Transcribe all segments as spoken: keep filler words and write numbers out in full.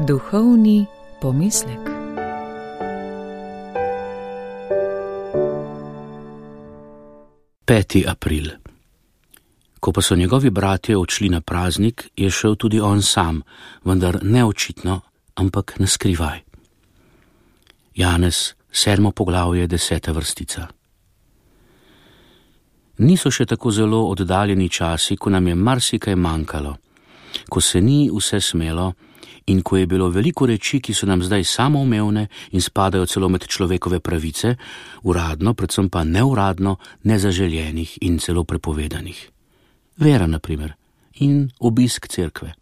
Duhovni pomislek. peti april. Ko pa so njegovi bratje odšli na praznik, je šel tudi on sam, vendar ne očitno, ampak na skrivaj. Janez, sedmo poglavje, deseta vrstica. Niso še tako zelo oddaljeni časi, ko nam je marsikaj manjkalo, ko se ni vse smelo in ko je bilo veliko reči, ki so nam zdaj samoumevne in spadajo celo med človekove pravice, uradno, predvsem pa neuradno, nezaželjenih in celo prepovedanih. Vera, na primer, in obisk cerkve.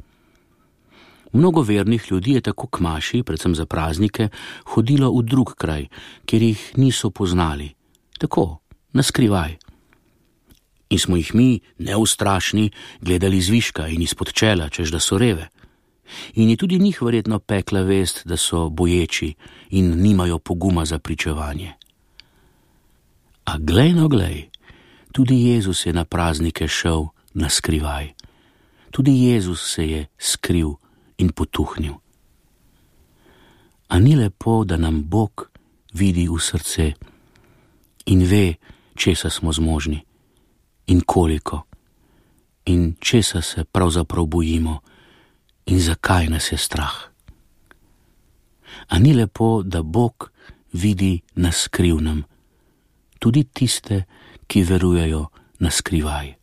Mnogo vernih ljudi je tako k maši, predvsem za praznike, hodilo v drug kraj, kjer jih niso poznali. Tako, na skrivaj. In smo jih mi, neustrašni, gledali zviška in izpod čela, češ da so reve. In je tudi njih verjetno pekla vest, da so boječi in nimajo poguma za pričevanje. A glej no glej, tudi Jezus je na praznike šel na skrivaj. Tudi Jezus se je skril in potuhnil. A ni lepo, da nam Bog vidi v srce in ve, česa smo zmožni in koliko in česa se pravzaprav bojimo in zakaj nas je strah. A ni lepo, da Bog vidi na skrivnem, tudi tiste, ki verujejo na skrivaj.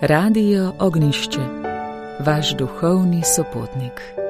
Radio Ognišče, vaš duhovni sopotnik.